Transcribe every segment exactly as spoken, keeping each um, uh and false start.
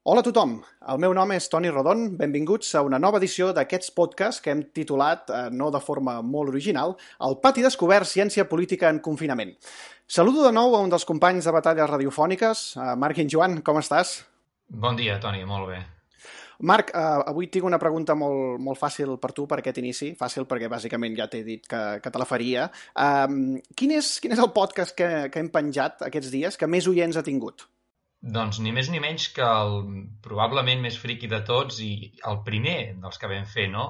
Hola a tothom, el meu nom és Toni Rodon, benvinguts a una nova edició d'aquests podcasts que hem titulat, eh, no de forma molt original, El Pati Descobert, Ciència Política en Confinament. Saludo de nou a un dels companys de batalles radiofòniques, eh, Marc i en Joan, com estàs? Bon dia, Toni, molt bé. Marc, eh, avui tinc una pregunta molt, molt fàcil per tu per aquest inici, fàcil perquè bàsicament ja t'he dit que, que te la faria. Um, quin, és, quin és el podcast que, que hem penjat aquests dies que més oients ha tingut? Doncs ni més ni menys que el probablement més friqui de tots i el primer dels que vam fer, no?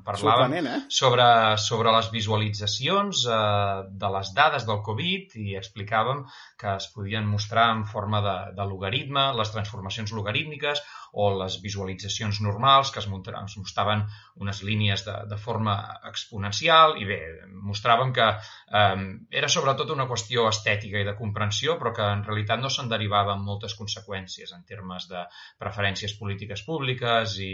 Parlàvem Sorprenent, eh? sobre, sobre les visualitzacions eh, de les dades del Covid i explicàvem que es podien mostrar en forma de, de logaritme, les transformacions logarítmiques o les visualitzacions normals que es, es mostraven unes línies de, de forma exponencial i bé, mostràvem que eh, era sobretot una qüestió estètica i de comprensió, però que en realitat no se'n derivaven moltes conseqüències en termes de preferències polítiques públiques i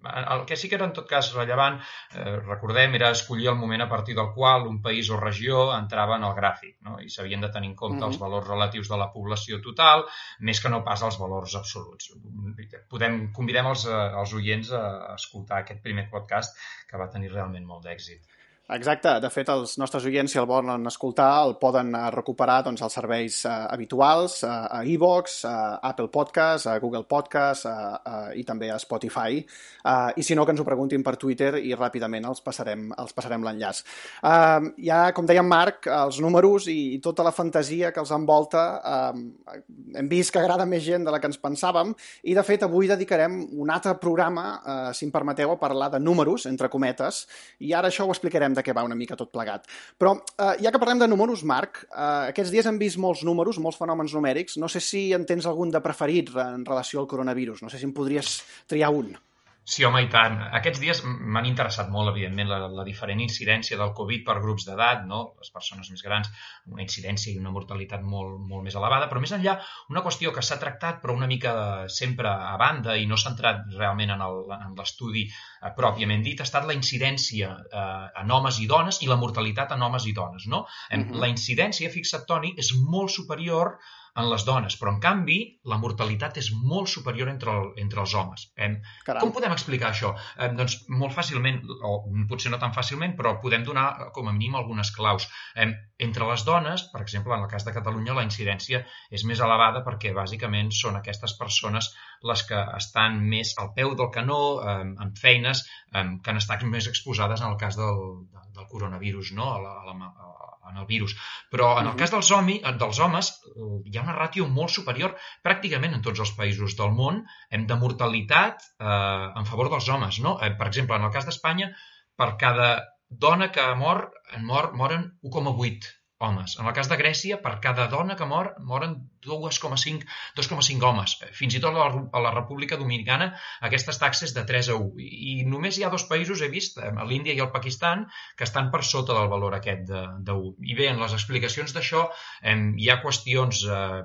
el que sí que era en tot cas rellevant, eh, recordem, era escollir el moment a partir del qual un país o regió entrava en el gràfic, no? I s'havien de tenir en compte mm-hmm. els valors relatius de la població total, més que no pas els valors absoluts. Podem, convidem els, els oients a escoltar aquest primer podcast que va tenir realment molt d'èxit. Exacte, de fet els nostres oients, si el volen escoltar, el poden recuperar doncs, als serveis eh, habituals, eh, a iVoox, a Apple Podcast, a Google Podcast eh, eh, i també a Spotify, eh, i si no que ens ho preguntin per Twitter i ràpidament els passarem, els passarem l'enllaç. Eh, ja, com deia en Marc, els números i, i tota la fantasia que els envolta eh, hem vist que agrada més gent de la que ens pensàvem i de fet avui dedicarem un altre programa, eh, si em permeteu, a parlar de números, entre cometes, i ara això ho explicarem de què va una mica tot plegat. Però, eh, ja que parlem de números, Marc, eh, aquests dies hem vist molts números, molts fenòmens numèrics. No sé si en tens algun de preferit en relació al coronavirus. No sé si em podries triar un. Sí, home, i tant. Aquests dies m'han interessat molt, evidentment, la, la diferent incidència del Covid per grups d'edat, no? Les persones més grans, una incidència i una mortalitat molt, molt més elevada, però més enllà, una qüestió que s'ha tractat, però una mica sempre a banda i no s'ha entrat realment en el, en l'estudi eh, pròpiament dit, ha estat la incidència eh, en homes i dones i la mortalitat en homes i dones, no? Uh-huh. La incidència, fixa't, Toni, és molt superior en les dones, però en canvi la mortalitat és molt superior entre, el, entre els homes. Eh, com podem explicar això? Eh, doncs molt fàcilment, o potser no tan fàcilment, però podem donar com a mínim algunes claus. Eh, entre les dones, per exemple, en el cas de Catalunya, la incidència és més elevada perquè bàsicament són aquestes persones les que estan més al peu del canó, eh, en feines eh, que han estat més exposades en el cas del, del coronavirus, no? a la, a la, a en el virus. Però en el cas dels, homi, dels homes hi ha una ràtio molt superior pràcticament en tots els països del món de mortalitat eh, en favor dels homes. No? Eh, per exemple, en el cas d'Espanya, per cada dona que mor, mor moren u coma vuit homes. En el cas de Grècia, per cada dona que mor, moren dos coma cinc homes. Fins i tot a la República Dominicana aquestes taxes de tres a u. I només hi ha dos països, he vist, l'Índia i el Pakistan, que estan per sota del valor aquest de, de u. I bé, en les explicacions d'això eh, hi ha qüestions... Eh,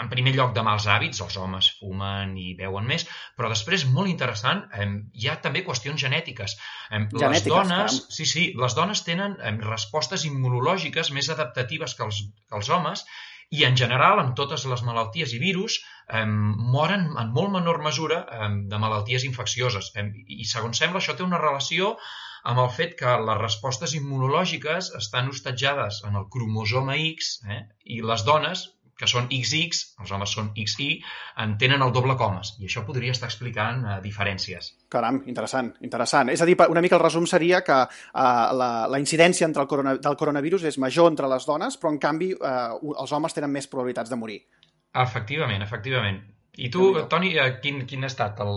en primer lloc de mals hàbits, els homes fumen i beuen més, però després, molt interessant, eh, hi ha també qüestions genètiques. Eh, les genètiques, dones, sí, sí, les dones tenen eh, respostes immunològiques més adaptatives que els, que els homes i, en general, amb totes les malalties i virus, eh, moren en molt menor mesura eh, de malalties infeccioses. Eh, I, segons sembla, això té una relació amb el fet que les respostes immunològiques estan hostatjades en el cromosoma X eh, i les dones, que són ics ics, els homes són ics i, en tenen el doble comes. I això podria estar explicant uh, diferències. Caram, interessant, interessant. És a dir, una mica el resum seria que uh, la, la incidència entre el corona, del coronavirus és major entre les dones, però en canvi uh, els homes tenen més probabilitats de morir. Efectivament, efectivament. I tu, Toni, quin, quin ha estat el,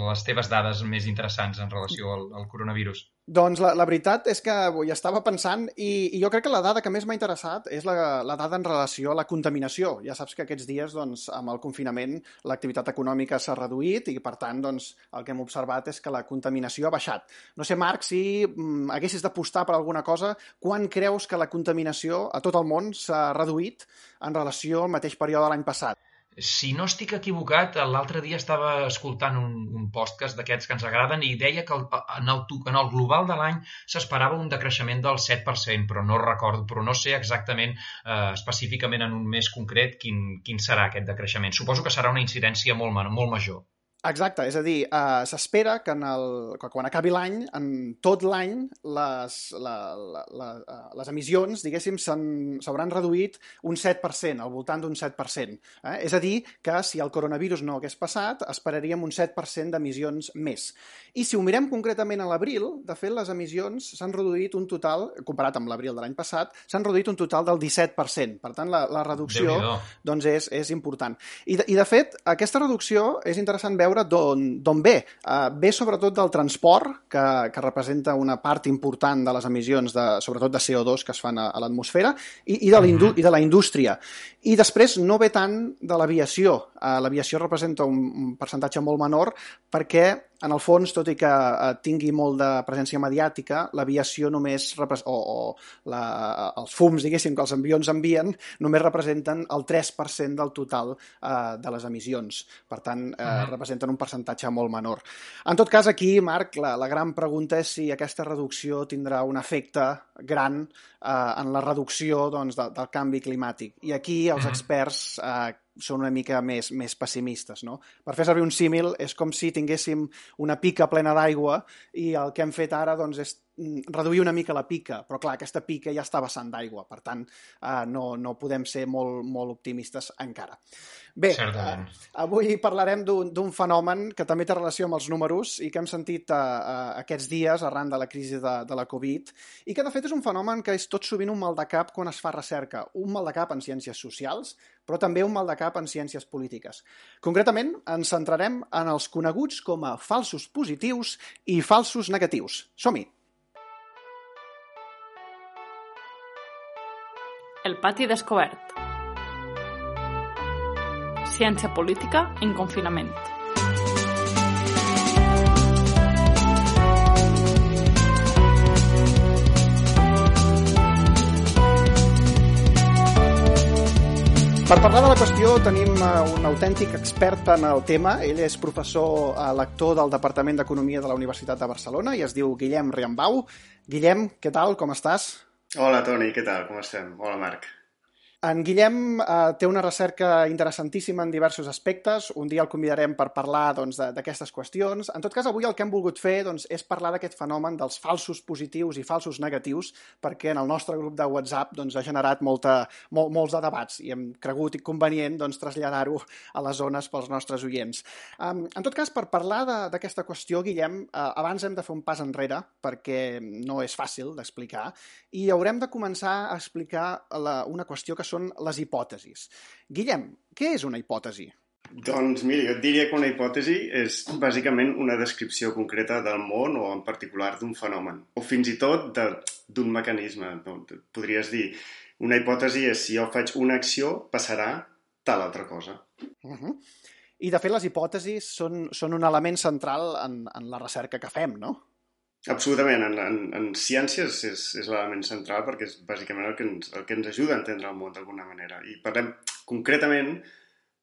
les teves dades més interessants en relació al, al coronavirus? Doncs la, la veritat és que hi estava pensant i, i jo crec que la dada que més m'ha interessat és la, la dada en relació a la contaminació. Ja saps que aquests dies, doncs, amb el confinament, l'activitat econòmica s'ha reduït i, per tant, doncs, el que hem observat és que la contaminació ha baixat. No sé, Marc, si mm, haguessis d'apostar per alguna cosa, quan creus que la contaminació a tot el món s'ha reduït en relació al mateix període de l'any passat? Si no estic equivocat, l'altre dia estava escoltant un, un podcast d'aquests que ens agraden i deia que el, en, el, en el global de l'any s'esperava un decreixement del set per cent, però no recordo, però no sé exactament, eh, específicament en un mes concret, quin, quin serà aquest decreixement. Suposo que serà una incidència molt, molt major. Exacte, és a dir, eh, s'espera que, en el, que quan acabi l'any, en tot l'any, les, la, la, la, eh, les emissions, diguéssim, s'han- s'hauran reduït un set per cent, al voltant d'un set per cent. Eh? És a dir, que si el coronavirus no hagués passat, esperaríem un set per cent d'emissions més. I si ho mirem concretament a l'abril, de fet, les emissions s'han reduït un total, comparat amb l'abril de l'any passat, s'han reduït un total del disset per cent. Per tant, la, la reducció Déu-n'hi-do. doncs, és, és important. I de, I, de fet, aquesta reducció és interessant veure d'on ve. Uh, ve sobretot del transport, que, que representa una part important de les emissions, de, sobretot de C O dos que es fan a, a l'atmosfera, i, i, de Mhm. i de la indústria. I després no ve tant de l'aviació. Uh, l'aviació representa un, un percentatge molt menor perquè, en el fons, tot i que uh, tingui molt de presència mediàtica, l'aviació només, repres o, o la, els fums, diguéssim, que els avions envien, només representen el tres per cent del total uh, de les emissions. Per tant, eh, Mhm. representen un percentatge molt menor. En tot cas, aquí, Marc, la, la gran pregunta és si aquesta reducció tindrà un efecte gran eh, en la reducció doncs, de, del canvi climàtic. I aquí els Mhm. experts eh, són una mica més, més pessimistes. No? Per fer servir un símil, és com si tinguéssim una pica plena d'aigua i el que hem fet ara doncs, és mm, reduir una mica la pica, però clar, aquesta pica ja està vessant d'aigua, per tant, eh, no, no podem ser molt, molt optimistes encara. Bé, eh, Certament. avui parlarem d'un d'un fenomen que també té relació amb els números i que hem sentit eh, eh, aquests dies arran de la crisi de, de la Covid i que de fet és un fenomen que és tot sovint un mal de cap quan es fa recerca, un mal de cap en ciències socials, però també un mal de cap en ciències polítiques. Concretament, ens centrarem en els coneguts com a falsos positius i falsos negatius. Som-hi! El pati descobert. Ciència política en confinament. Per parlar de la qüestió tenim un autèntic expert en el tema. Ell és professor lector del Departament d'Economia de la Universitat de Barcelona i es diu Guillem Riambau. Guillem, què tal? Com estàs? Hola, Toni, què tal? Com estem? Hola, Marc. En Guillem eh, té una recerca interessantíssima en diversos aspectes. Un dia el convidarem per parlar doncs, d'aquestes qüestions. En tot cas, avui el que hem volgut fer doncs, és parlar d'aquest fenomen dels falsos positius i falsos negatius, perquè en el nostre grup de WhatsApp doncs, ha generat molta, mol, molts de debats i hem cregut convenient doncs, traslladar-ho a les zones pels nostres oients. Um, en tot cas, per parlar d'aquesta qüestió, Guillem, eh, abans hem de fer un pas enrere, perquè no és fàcil d'explicar, i haurem de començar a explicar la, una qüestió que són les hipòtesis. Guillem, què és una hipòtesi? Doncs mira, jo et diria que una hipòtesi és bàsicament una descripció concreta del món o en particular d'un fenomen, o fins i tot d'un mecanisme. No? Podries dir, una hipòtesi és si jo faig una acció, passarà tal altra cosa. Uh-huh. I de fet les hipòtesis són, són un element central en, en la recerca que fem, no? Absolutament. En, en, en ciències és, és l'element central perquè és bàsicament el que, ens, el que ens ajuda a entendre el món d'alguna manera. I parlem, concretament,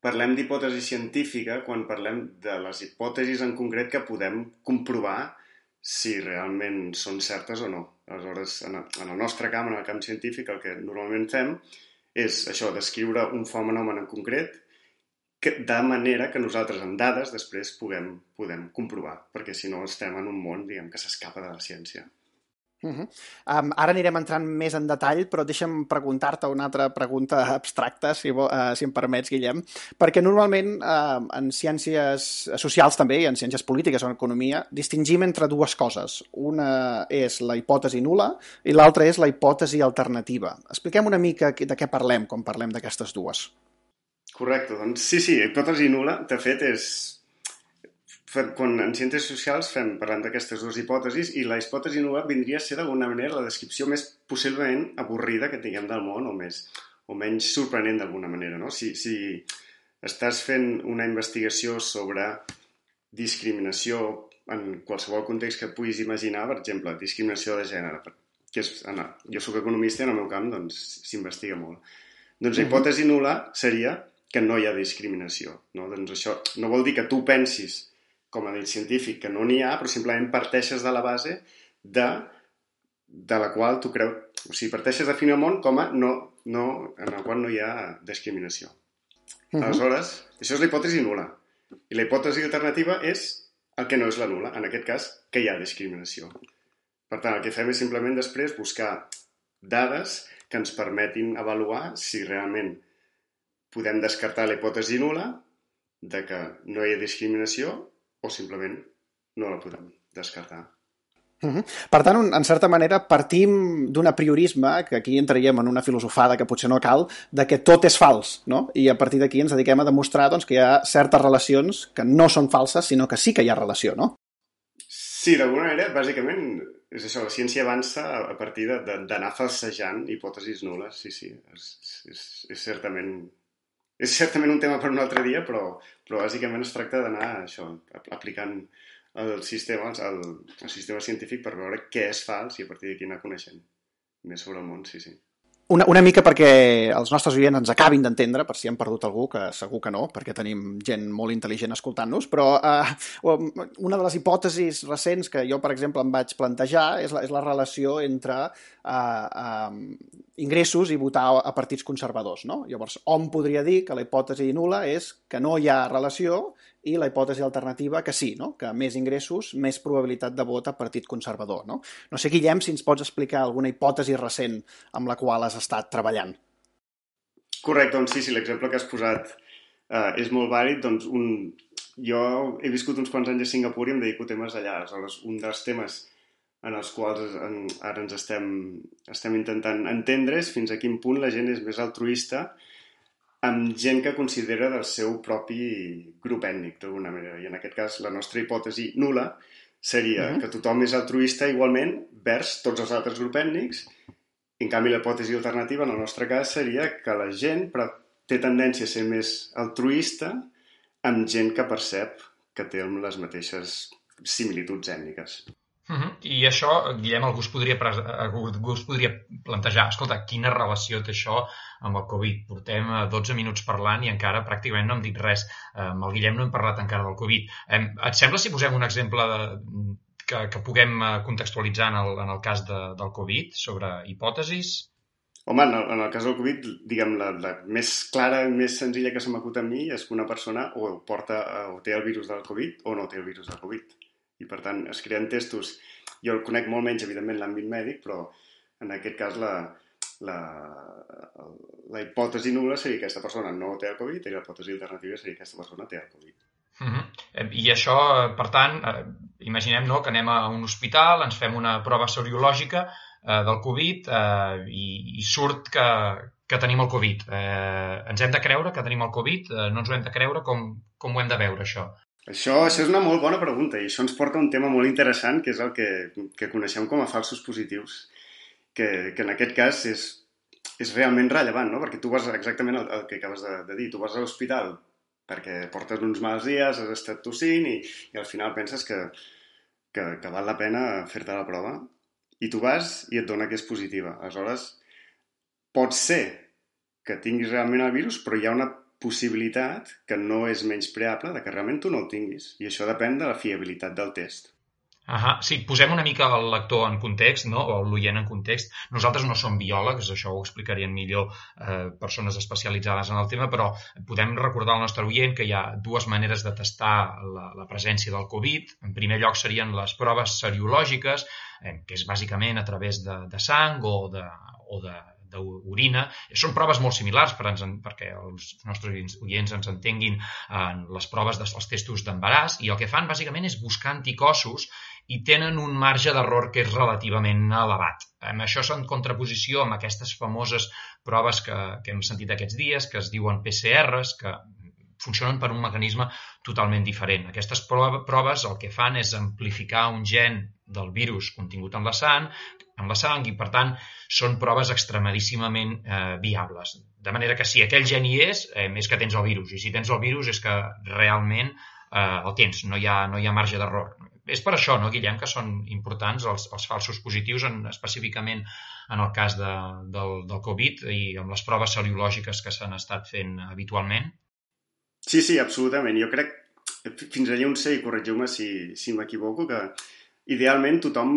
parlem d'hipòtesi científica quan parlem de les hipòtesis en concret que podem comprovar si realment són certes o no. Aleshores, en el, en el nostre camp, en el camp científic, el que normalment fem és això, descriure un fenomen en concret que, de manera que nosaltres amb dades després puguem, podem comprovar, perquè si no estem en un món, diguem, que s'escapa de la ciència. Uh-huh. um, ara anirem entrant més en detall, però deixa'm preguntar-te una altra pregunta abstracta, si, uh, si em permets, Guillem, perquè normalment uh, en ciències socials també, i en ciències polítiques o en economia, distingim entre dues coses. Una és la hipòtesi nul·la i l'altra és la hipòtesi alternativa. Expliquem una mica de què parlem quan parlem d'aquestes dues. Correcte, doncs sí, sí, hipòtesi nul·la, de fet, és... Quan en ciències socials fem, parlem d'aquestes dues hipòtesis i la hipòtesi nul·la vindria a ser d'alguna manera la descripció més possiblement avorrida que tinguem del món o, més, o menys sorprenent d'alguna manera. No? Si, si estàs fent una investigació sobre discriminació en qualsevol context que puguis imaginar, per exemple, discriminació de gènere, que és, jo soc economista i en el meu camp doncs, s'investiga molt. Doncs la hipòtesi nul·la seria que no hi ha discriminació. No? Doncs això no vol dir que tu pensis, com a dit científic, que no n'hi ha, però simplement parteixes de la base de, de la qual tu creus... O sigui, parteixes de definir el món com a no, no, en el qual no hi ha discriminació. Uh-huh. Aleshores, això és la hipòtesi nul·la. I la hipòtesi alternativa és el que no és la nul·la, en aquest cas, que hi ha discriminació. Per tant, el que fem és simplement després buscar dades que ens permetin avaluar si realment podem descartar la hipòtesi nul·la de que no hi ha discriminació o simplement no la podem descartar. Uh-huh. Per tant, en certa manera, partim d'un apriorisme, que aquí entraríem en una filosofada que potser no cal, de que tot és fals, no? I a partir d'aquí ens dediquem a demostrar doncs, que hi ha certes relacions que no són falses, sinó que sí que hi ha relació, no? Sí, d'alguna manera, bàsicament, és això, la ciència avança a partir d'anar falsejant hipòtesis nul·les, sí, sí, és, és, és certament... És certament un tema per un altre dia, però, però bàsicament es tracta d'anar això, aplicant el sistema, el, el sistema científic per veure què és fals i a partir d'aquí anar coneixent més sobre el món, sí, sí. Una, una mica perquè els nostres oients ens acabin d'entendre, per si hem perdut algú, que segur que no, perquè tenim gent molt intel·ligent escoltant-nos, però eh, una de les hipòtesis recents que jo, per exemple, em vaig plantejar és la, és la relació entre eh, eh, ingressos i votar a partits conservadors, no? Llavors, hom podria dir que la hipòtesi nul·la és que no hi ha relació i la hipòtesi alternativa que sí, no? Que més ingressos, més probabilitat de vot a partit conservador, no? No sé, Guillem, si ens pots explicar alguna hipòtesi recent amb la qual has estat treballant. Correcte, doncs sí, sí, l'exemple que has posat eh, és molt vàlid. Doncs un... Jo he viscut uns quants anys a Singapur i em dedico a temes allà. Aleshores, un dels temes en els quals en, ara ens estem, estem intentant entendre és fins a quin punt la gent és més altruista amb gent que considera del seu propi grup ètnic, d'alguna manera. I en aquest cas, la nostra hipòtesi nul·la seria uh-huh. que tothom és altruista igualment vers tots els altres grups ètnics. En canvi, la hipòtesi alternativa, en el nostre cas, seria que la gent té tendència a ser més altruista amb gent que percep que té les mateixes similituds ètniques. Uh-huh. I això, Guillem, algú es, podria, algú es podria plantejar, escolta, quina relació té això amb el Covid? Portem dotze minuts parlant i encara pràcticament no hem dit res. Amb el Guillem no hem parlat encara del Covid. Et sembla si posem un exemple de, que, que puguem contextualitzar en el, en el cas de, del Covid sobre hipòtesis? Home, en el, en el cas del Covid, diguem, la, la més clara i més senzilla que se m'acut a mi és que una persona o porta o té el virus del Covid o no té el virus del Covid. I, per tant, es creen testos. Jo el conec molt menys, evidentment, l'àmbit mèdic, però en aquest cas la, la, la hipòtesi nul·la seria que aquesta persona no té el Covid i la hipòtesi alternativa seria que aquesta persona té el Covid. Uh-huh. I això, per tant, eh, imaginem no, que anem a un hospital, ens fem una prova seriològica eh, del Covid eh, i, i surt que, que tenim el Covid. Eh, ens hem de creure que tenim el Covid? Eh, no ens ho hem de creure? Com, com ho hem de veure, això? Això, això és una molt bona pregunta i això ens porta a un tema molt interessant que és el que, que coneixem com a falsos positius, que, que en aquest cas és, és realment rellevant, no? Perquè tu vas exactament el, el que acabes de, de dir, tu vas a l'hospital perquè portes uns mals dies, has estat tossint i, i al final penses que, que, que val la pena fer-te la prova i tu vas i et dona que és positiva. Aleshores, pot ser que tinguis realment el virus, però hi ha una possibilitat que no és menyspreable de que realment tu no el tinguis. I això depèn de la fiabilitat del test. Ahà, sí, posem una mica el lector en context, no? O l'oient en context. Nosaltres no som biòlegs, això ho explicarien millor eh, persones especialitzades en el tema, però podem recordar al nostre oient que hi ha dues maneres de testar la, la presència del Covid. En primer lloc serien les proves seriològiques, eh, que és bàsicament a través de, de sang o de, o de d'orina. Són proves molt similars per ens, perquè els nostres oients ens entenguin en les proves dels testos d'embaràs i el que fan bàsicament és buscar anticossos i tenen un marge d'error que és relativament elevat. Això és en contraposició amb aquestes famoses proves que, que hem sentit aquests dies, que es diuen P C Rs, que funcionen per un mecanisme totalment diferent. Aquestes proves el que fan és amplificar un gen del virus contingut en la sang, en la sang i, per tant, són proves extremadíssimament eh, viables. De manera que si aquell gen hi és, eh, és que tens el virus. I si tens el virus és que realment eh, el tens, no hi ha, no hi ha marge d'error. És per això, no, Guillem, que són importants els, els falsos positius, en, específicament en el cas de, del, del Covid i amb les proves seriològiques que s'han estat fent habitualment? Sí, sí, absolutament. Jo crec, fins allà on sé, i corregiu-me si, si m'equivoco, que idealment tothom,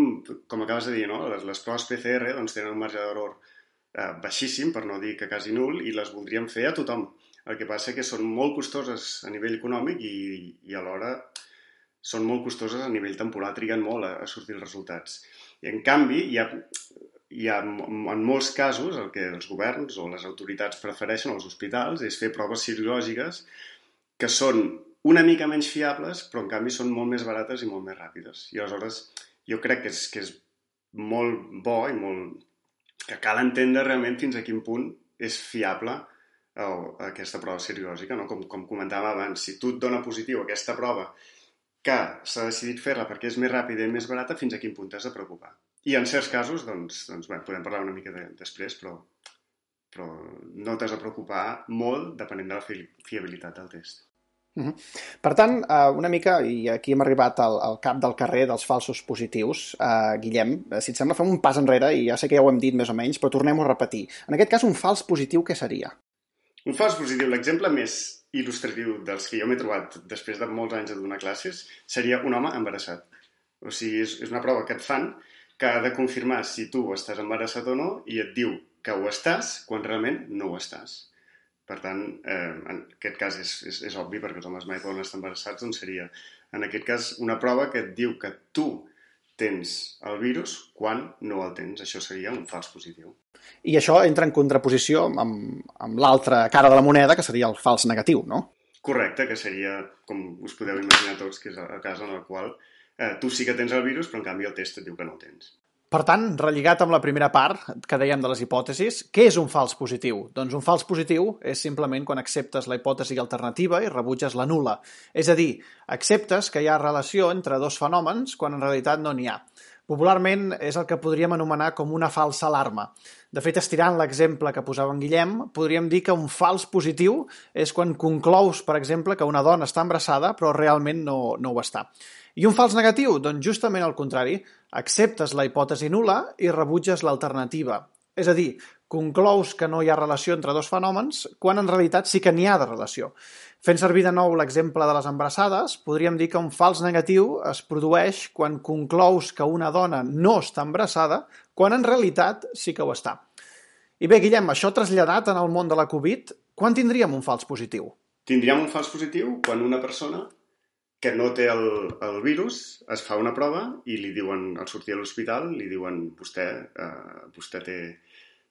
com acabes de dir, no? les, les proves P C R doncs, tenen un marge d'error eh, baixíssim, per no dir que quasi nul, i les voldríem fer a tothom. El que passa que són molt costoses a nivell econòmic i, i alhora són molt costoses a nivell temporal, triguen molt a, a sortir els resultats. I en canvi, hi ha, hi ha en molts casos el que els governs o les autoritats prefereixen als hospitals és fer proves serològiques que són una mica menys fiables, però en canvi són molt més barates i molt més ràpides. I aleshores jo crec que és, que és molt bo i molt... que cal entendre realment fins a quin punt és fiable el, aquesta prova serològica, no? Com, com comentàvem abans, si tu et dona positiu aquesta prova que s'ha decidit fer-la perquè és més ràpida i més barata, fins a quin punt t'has de preocupar. I en certs casos, doncs, doncs bé, podem parlar una mica de, després, però, però no t'has de preocupar molt depenent de la fi, fiabilitat del test. Uh-huh. Per tant, una mica, i aquí hem arribat al, al cap del carrer dels falsos positius, uh, Guillem, si et sembla fem un pas enrere, i ja sé que ja ho hem dit més o menys, però tornem-ho a repetir. En aquest cas, un fals positiu, què seria? Un fals positiu, l'exemple més il·lustratiu dels que jo m'he trobat després de molts anys de donar classes, seria un home embarassat. O sigui, és, és una prova que et fan que ha de confirmar si tu estàs embarassat o no i et diu que ho estàs quan realment no ho estàs. Per tant, eh, en aquest cas és, és, és obvi, perquè els homes mai poden estar embarassats, doncs seria, en aquest cas, una prova que et diu que tu tens el virus quan no el tens. Això seria un fals positiu. I això entra en contraposició amb, amb l'altra cara de la moneda, que seria el fals negatiu, no? Correcte, que seria, com us podeu imaginar tots, que és el cas en el qual eh, tu sí que tens el virus, però en canvi el test et diu que no el tens. Per tant, relligat amb la primera part que dèiem de les hipòtesis, què és un fals positiu? Doncs un fals positiu és simplement quan acceptes la hipòtesi alternativa i rebutges la nul·la. És a dir, acceptes que hi ha relació entre dos fenòmens quan en realitat no n'hi ha. Popularment és el que podríem anomenar com una falsa alarma. De fet, estirant l'exemple que posava en Guillem, podríem dir que un fals positiu és quan conclous, per exemple, que una dona està embarassada però realment no, no ho està. I un fals negatiu? Doncs justament al contrari. Acceptes la hipòtesi nul·la i rebutges l'alternativa. És a dir, conclous que no hi ha relació entre dos fenòmens quan en realitat sí que n'hi ha de relació. Fent servir de nou l'exemple de les embarassades, podríem dir que un fals negatiu es produeix quan conclous que una dona no està embarassada quan en realitat sí que ho està. I bé, Guillem, això traslladat en el món de la Covid, quan tindríem un fals positiu? Tindríem un fals positiu quan una persona que no té el, el virus, es fa una prova i li diuen, al sortir a l'hospital, li diuen, vostè, eh, vostè té,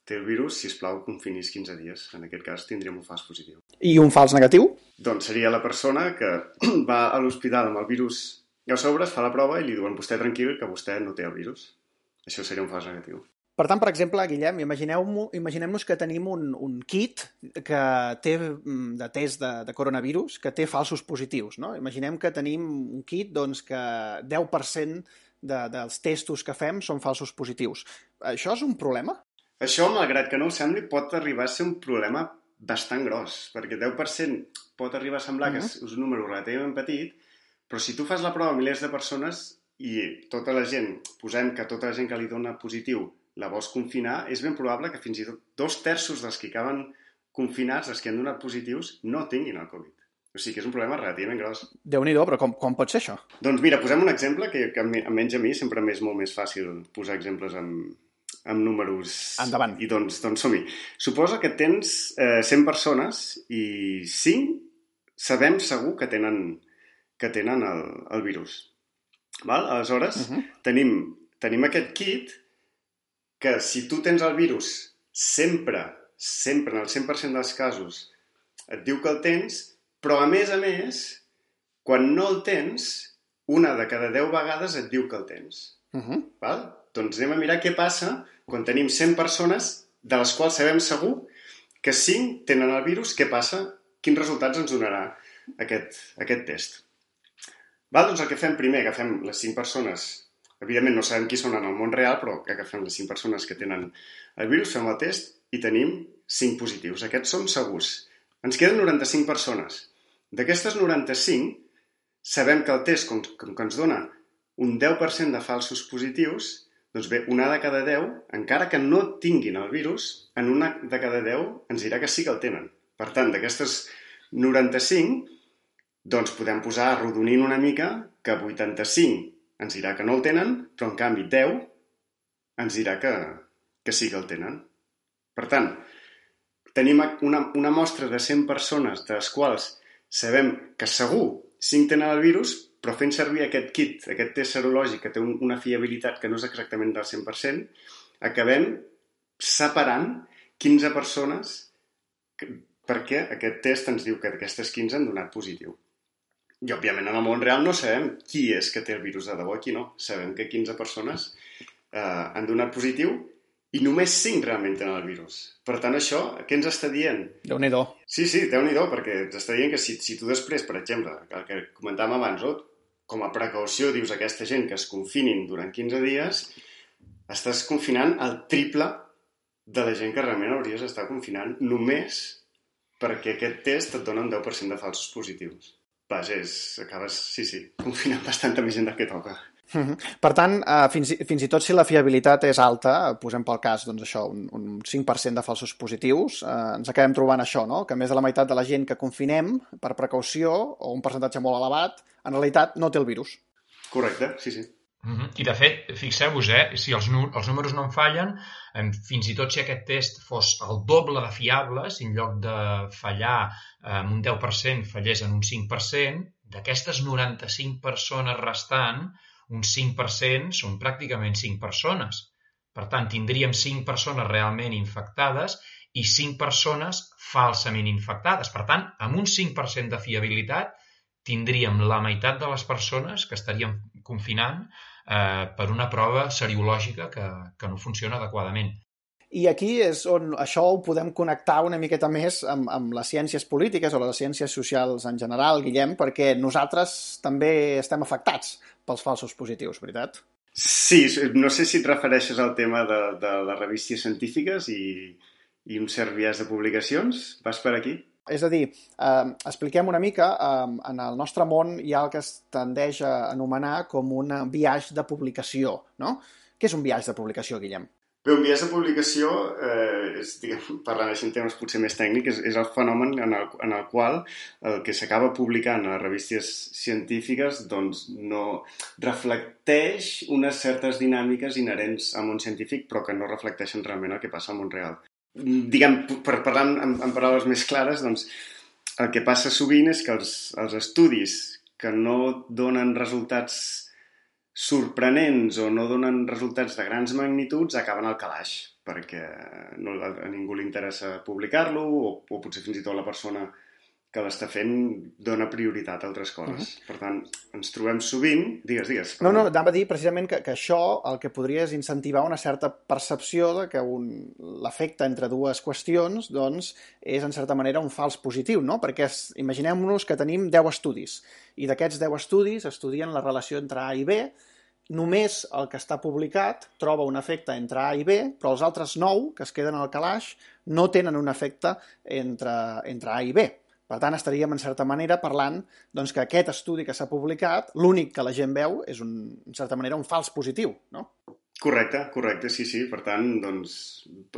té el virus, sisplau, confinis quinze dies. En aquest cas tindríem un fals positiu. I un fals negatiu? Doncs seria la persona que va a l'hospital amb el virus i a sobre es fa la prova i li diuen, vostè tranquil, que vostè no té el virus. Això seria un fals negatiu. Per tant, per exemple, Guillem, imagineu-nos imaginem que tenim un, un kit que té de test de, de coronavirus que té falsos positius, no? Imaginem que tenim un kit doncs, que deu per cent de, dels testos que fem són falsos positius. Això és un problema? Això, malgrat que no ho sembli, pot arribar a ser un problema bastant gros, perquè deu per cent pot arribar a semblar uh-huh. que és un número relativament petit, però si tu fas la prova a milers de persones i tota la gent, posem que tota la gent que li dona positiu la vols confinar, és ben probable que fins i tot dos terços dels que acaben confinats, els que han donat positius, no tinguin el Covid. O sigui que és un problema relativament gros. Déu-n'hi-do, però com, com pot ser això? Doncs mira, posem un exemple que, que almenys a mi sempre m'és molt més fàcil posar exemples amb, amb números. Endavant. I doncs, doncs som-hi. Suposa que tens eh, cent persones i cinc sabem segur que tenen, que tenen el, el virus. Val? Aleshores, uh-huh. tenim, tenim aquest kit que si tu tens el virus sempre, sempre, en el cent per cent dels casos, et diu que el tens, però a més a més, quan no el tens, una de cada deu vegades et diu que el tens. Uh-huh. Val? Doncs anem a mirar què passa quan tenim cent persones de les quals sabem segur que cinc tenen el virus, què passa? Quins resultats ens donarà aquest, aquest test? Val? Doncs el que fem primer, agafem les cinc persones. Evidentment no sabem qui són en el món real, però agafem les cinc persones que tenen el virus, fem el test i tenim cinc positius. Aquests són segurs. Ens queden noranta-cinc persones. D'aquestes noranta-cinc, sabem que el test, com, com que ens dona un deu per cent de falsos positius, doncs bé, una de cada deu, encara que no tinguin el virus, en una de cada deu ens dirà que sí que el tenen. Per tant, d'aquestes noranta-cinc, doncs podem posar arrodonint una mica que vuitanta-cinc ens dirà que no el tenen, però en canvi deu ens dirà que, que sí que el tenen. Per tant, tenim una, una mostra de cent persones, de les quals sabem que segur cinc tenen el virus, però fent servir aquest kit, aquest test serològic que té un, una fiabilitat que no és exactament del cent per cent, acabem separant quinze persones que, perquè aquest test ens diu que d'aquestes quinze han donat positiu. I, òbviament, en el món real no sabem qui és que té el virus de debò i qui no. Sabem que quinze persones eh, han donat positiu i només cinc realment tenen el virus. Per tant, això, què ens està dient? Déu-n'hi-do. Sí, sí, Déu-n'hi-do, perquè ens està dient que si, si tu després, per exemple, el que comentàvem abans, oh, com a precaució dius a aquesta gent que es confinin durant quinze dies, estàs confinant el triple de la gent que realment hauries d'estar confinant només perquè aquest test et dona un deu per cent de falsos positius. Vaja, és, acabes, sí, sí, confinant bastanta més gent del que toca. Mm-hmm. Per tant, eh, fins, fins i tot si la fiabilitat és alta, posem pel cas doncs això, un, un cinc per cent de falsos positius, eh, ens acabem trobant això, no? Que més de la meitat de la gent que confinem per precaució, o un percentatge molt elevat, en realitat no té el virus. Correcte, sí, sí. Mm-hmm. I de fet, fixeu-vos, eh, si els, els números no en fallen, eh, fins i tot si aquest test fos el doble de fiable, si en lloc de fallar eh, en un deu per cent fallés en un cinc per cent, d'aquestes noranta-cinc persones restant, un cinc per cent són pràcticament cinc persones. Per tant, tindríem cinc persones realment infectades i cinc persones falsament infectades. Per tant, amb un cinc per cent de fiabilitat, tindríem la meitat de les persones que estaríem confinant eh, per una prova seriològica que, que no funciona adequadament. I aquí és on això ho podem connectar una miqueta més amb, amb les ciències polítiques o les ciències socials en general, Guillem, perquè nosaltres també estem afectats pels falsos positius, veritat? Sí, no sé si et refereixes al tema de, de les revistes científiques i, i un cert biaix de publicacions. Vas per aquí? És a dir, eh, expliquem una mica, eh, en el nostre món hi ha el que es tendeix a anomenar com un biaix de publicació, no? Què és un biaix de publicació, Guillem? Bé, un biaix de publicació, eh, és, diguem, parlant així en temes potser més tècnics, és, és el fenomen en el, en el qual el que s'acaba publicant a les revistes científiques doncs, no reflecteix unes certes dinàmiques inherents al món científic, però que no reflecteixen realment el que passa al món real. Diguem, per parlar en, en paraules més clares, doncs, el que passa sovint és que els, els estudis que no donen resultats sorprenents o no donen resultats de grans magnituds acaben al calaix, perquè no, a ningú li interessa publicar-lo o, o potser fins i tot la persona que l'està fent dona prioritat a altres coses. Uh-huh. Per tant, ens trobem sovint... Digues, digues. No, no, anava a dir precisament que, que això el que podria és incentivar una certa percepció de que un, l'efecte entre dues qüestions doncs, és, en certa manera, un fals positiu, no? Perquè imaginem-nos que tenim deu estudis i d'aquests deu estudis estudien la relació entre A i B. Només el que està publicat troba un efecte entre A i B, però els altres nou, que es queden al calaix, no tenen un efecte entre, entre A i B. Per tant, estaríem, en certa manera, parlant doncs, que aquest estudi que s'ha publicat, l'únic que la gent veu és, un, en certa manera, un fals positiu, no? Correcte, correcte, sí, sí. Per tant, doncs,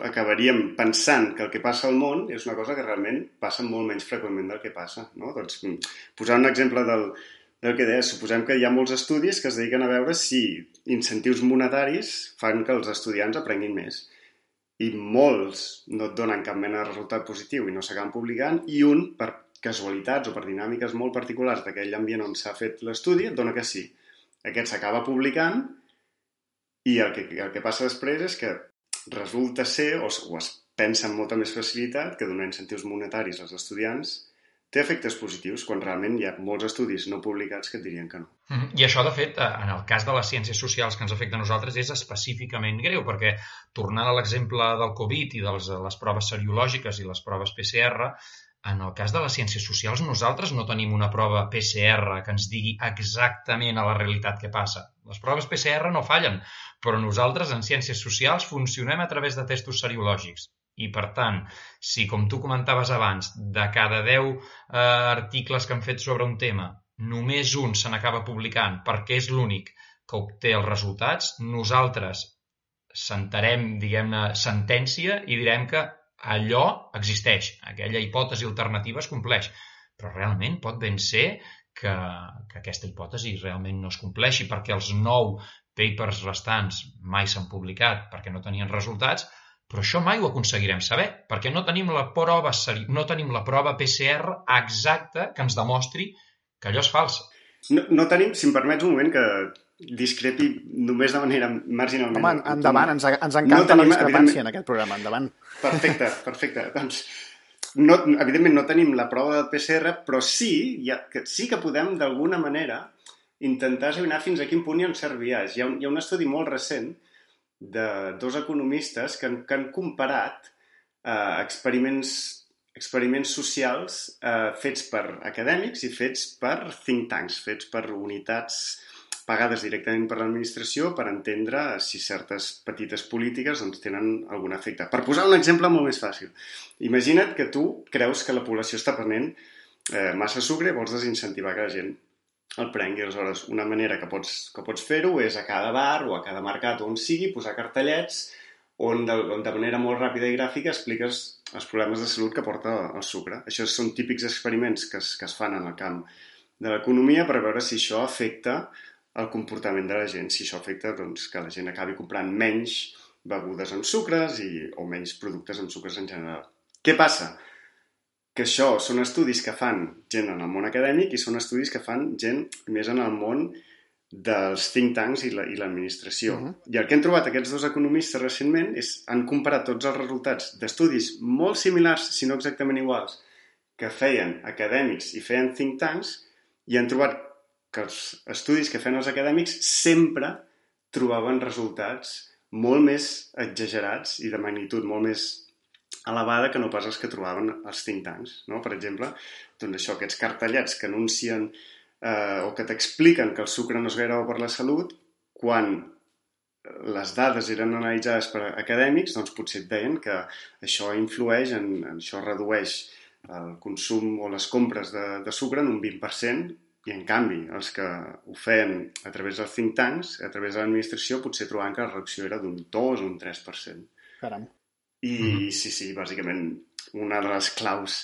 acabaríem pensant que el que passa al món és una cosa que realment passa molt menys freqüentment del que passa, no? Doncs, posar un exemple del, del que deia, suposem que hi ha molts estudis que es dediquen a veure si incentius monetaris fan que els estudiants aprenguin més. I molts no et donen cap mena de resultat positiu i no s'acaben publicant, i un, per casualitats o per dinàmiques molt particulars d'aquell ambient on s'ha fet l'estudi, et dona que sí. Aquest s'acaba publicant i el que, el que passa després és que resulta ser, o, o es pensa amb molta més facilitat, que donar incentius monetaris als estudiants té efectes positius, quan realment hi ha molts estudis no publicats que et dirien que no. I això, de fet, en el cas de les ciències socials que ens afecta a nosaltres, és específicament greu, perquè, tornant a l'exemple del Covid i de les, les proves seriològiques i les proves P C R, en el cas de les ciències socials, nosaltres no tenim una prova P C R que ens digui exactament a la realitat què passa. Les proves P C R no fallen, però nosaltres, en ciències socials, funcionem a través de testos seriològics. I, per tant, si, com tu comentaves abans, de cada deu eh, articles que han fet sobre un tema, només un se n'acaba publicant perquè és l'únic que obté els resultats, nosaltres sentarem, diguem-ne, sentència i direm que allò existeix, aquella hipòtesi alternativa es compleix. Però realment pot ben ser que, que aquesta hipòtesi realment no es compleixi perquè els nou papers restants mai s'han publicat perquè no tenien resultats, Però això mai ho aconseguirem saber, perquè no tenim la prova, no tenim la prova P C R exacta que ens demostri que allò és fals. No, no tenim, si em permets un moment, que discrepi només de manera marginalment. Home, endavant, ens, ens encanta no tenim, la discrepància en aquest programa, endavant. Perfecte, perfecte. Doncs, no, evidentment no tenim la prova del P C R, però sí, ja, que, sí que podem d'alguna manera intentar esbrinar fins a quin punt hi ha un cert biaix. Hi ha un, hi ha un estudi molt recent de dos economistes que han, que han comparat eh, experiments, experiments socials eh, fets per acadèmics i fets per think tanks, fets per unitats pagades directament per l'administració per entendre si certes petites polítiques doncs, tenen algun efecte. Per posar un exemple molt més fàcil, imagina't que tu creus que la població està prenent eh, massa sucre i vols desincentivar que la gent el prengui. Aleshores, una manera que pots, que pots fer-ho és a cada bar o a cada mercat on sigui posar cartellets on de, on de manera molt ràpida i gràfica expliques els problemes de salut que porta el sucre. Això són típics experiments que es, que es fan en el camp de l'economia per veure si això afecta el comportament de la gent, si això afecta doncs, que la gent acabi comprant menys begudes amb sucres i, o menys productes amb sucres en general. Què passa? Que això són estudis que fan gent en el món acadèmic i són estudis que fan gent més en el món dels think tanks i l'administració. La, uh-huh. I el que han trobat aquests dos economistes recentment és han comparat tots els resultats d'estudis molt similars, si no exactament iguals, que feien acadèmics i feien think tanks i han trobat que els estudis que feien els acadèmics sempre trobaven resultats molt més exagerats i de magnitud molt més elevada que no pas els que trobaven els think tanks, no? Per exemple, doncs això, aquests cartellets que anuncien eh, o que t'expliquen que el sucre no és gaire bo per la salut, quan les dades eren analitzades per acadèmics, doncs potser et deien que això influeix, en, en això redueix el consum o les compres de, de sucre en un vint per cent, i en canvi els que ho feien a través dels think tanks, a través de l'administració, potser trobaven que la reducció era d'un dos o un tres per cent. Caram. I mm-hmm. sí, sí, bàsicament una de les claus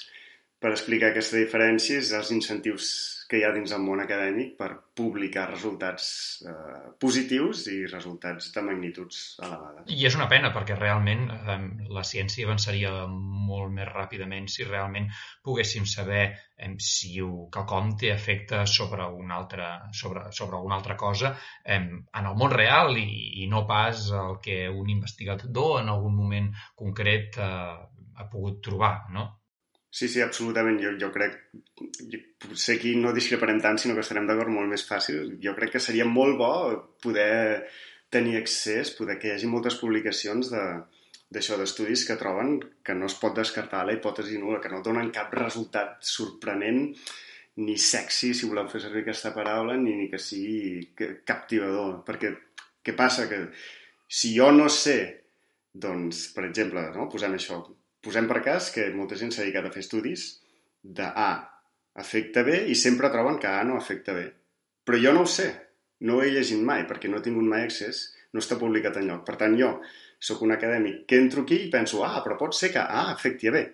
per explicar aquesta diferència és els incentius que hi ha dins el món acadèmic per publicar resultats eh, positius i resultats de magnituds elevades. I és una pena perquè realment eh, la ciència avançaria molt més ràpidament si realment poguéssim saber eh, si quelcom té efecte sobre una altra, sobre, sobre una altra cosa eh, en el món real i, i no pas el que un investigador en algun moment concret eh, ha pogut trobar, no? Sí, sí, absolutament. Jo, jo crec, jo, potser aquí no discreparem tant, sinó que estarem d'acord molt més fàcil. Jo crec que seria molt bo poder tenir accés, poder que hi hagi moltes publicacions de, d'això, d'estudis que troben que no es pot descartar la hipòtesi nul·la, que no donen cap resultat sorprenent ni sexy, si voleu fer servir aquesta paraula, ni, ni que sigui captivador. Perquè què passa? Que si jo no sé, doncs, per exemple, no? posem això, posem per cas que molta gent s'ha dedicat a fer estudis de A afecta B i sempre troben que A no afecta B. Però jo no ho sé, no ho he llegit mai perquè no he tingut mai accés, no està publicat enlloc. Per tant, jo sóc un acadèmic que entro aquí i penso, ah, però pot ser que A afecti a B.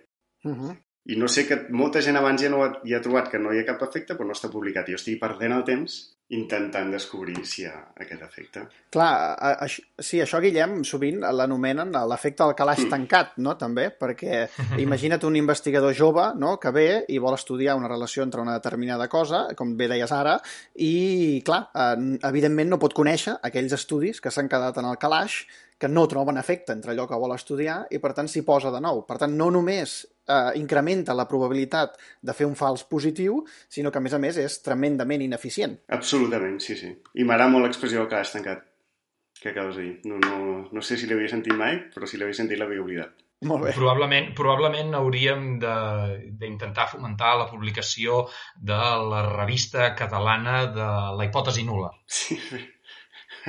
Uh-huh. I no sé que molta gent abans ja, no ha, ja ha trobat que no hi ha cap efecte, però no està publicat. I jo estic perdent el temps intentant descobrir si hi ha aquest efecte. Clar, a, a, sí, això, Guillem, sovint l'anomenen l'efecte del calaix mm. tancat, no?, també, perquè imagina't un investigador jove, no?, que ve i vol estudiar una relació entre una determinada cosa, com bé deies ara, i, clar, eh, evidentment no pot conèixer aquells estudis que s'han quedat en el calaix, que no troben efecte entre allò que vol estudiar i, per tant, s'hi posa de nou. Per tant, no només eh, incrementa la probabilitat de fer un fals positiu, sinó que, a més a més, és tremendament ineficient. Absolutament, sí, sí. I m'agrada molt l'expressió del calaix tancat, que acabes de dir. No, no, no sé si l'havia sentit mai, però si l'havia sentit l'havia oblidat. Molt bé. Probablement, probablement hauríem d'intentar fomentar la publicació de la revista catalana de la hipòtesi nul·la. Sí, sí.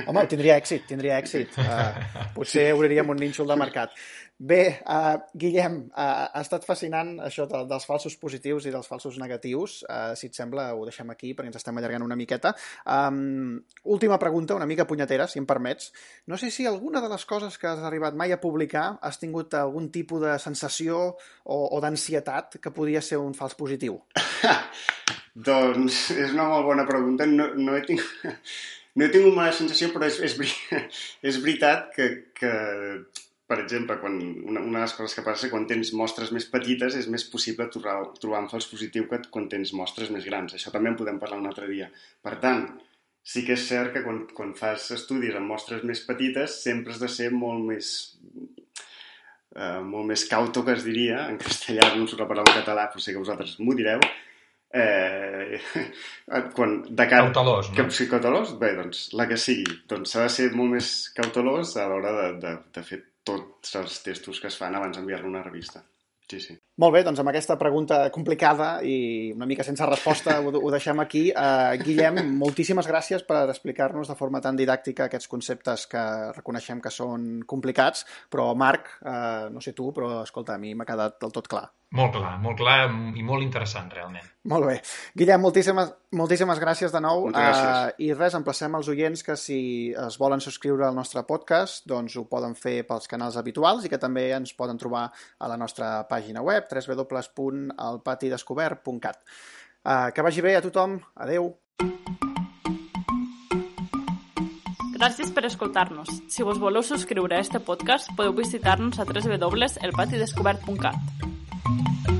Home, tindria èxit, tindria èxit. Uh, potser obriríem un nínxol de mercat. Bé, uh, Guillem, uh, ha estat fascinant això de, dels falsos positius i dels falsos negatius. Uh, si et sembla, ho deixem aquí perquè ens estem allargant una miqueta. Um, última pregunta, una mica punyetera, si em permets. No sé si alguna de les coses que has arribat mai a publicar has tingut algun tipus de sensació o, o d'ansietat que podia ser un fals positiu? Doncs és una molt bona pregunta. No, no he tingut... No he tingut mala sensació, però és, és, és veritat que, que per exemple, quan una, una de les coses que passa quan tens mostres més petites és més possible trobar, trobar un fals positiu que quan tens mostres més grans. Això també en podem parlar un altre dia. Per tant, sí que és cert que quan, quan fas estudis amb mostres més petites sempre has de ser molt més eh, molt més cauto, que es diria, en castellà no surt la paraula en català, però sé que vosaltres m'ho direu, eh, quan, de cara, cautelós, no? Que, sí, cautelós, bé, doncs, la que sigui, doncs s'ha de ser molt més cautelós a l'hora de, de, de fer tots els testos que es fan abans d'enviar-lo a una revista. Sí, sí. Molt bé, doncs amb aquesta pregunta complicada i una mica sense resposta ho, ho deixem aquí. Uh, Guillem, moltíssimes gràcies per explicar-nos de forma tan didàctica aquests conceptes que reconeixem que són complicats, però Marc, uh, no sé tu, però escolta, a mi m'ha quedat del tot clar. Molt clar, molt clar i molt interessant, realment. Molt bé. Guillem, moltíssimes, moltíssimes gràcies de nou. Moltes gràcies. Uh, I res, emplacem els oients que si es volen subscriure al nostre podcast, doncs ho poden fer pels canals habituals i que també ens poden trobar a la nostra pàgina web, w w w punt el pati descobert punt cat. Uh, que vagi bé a tothom. Adeu. Gràcies per escoltar-nos. Si vos voleu subscriure a este podcast, podeu visitar-nos a w w w punt el pati descobert punt cat.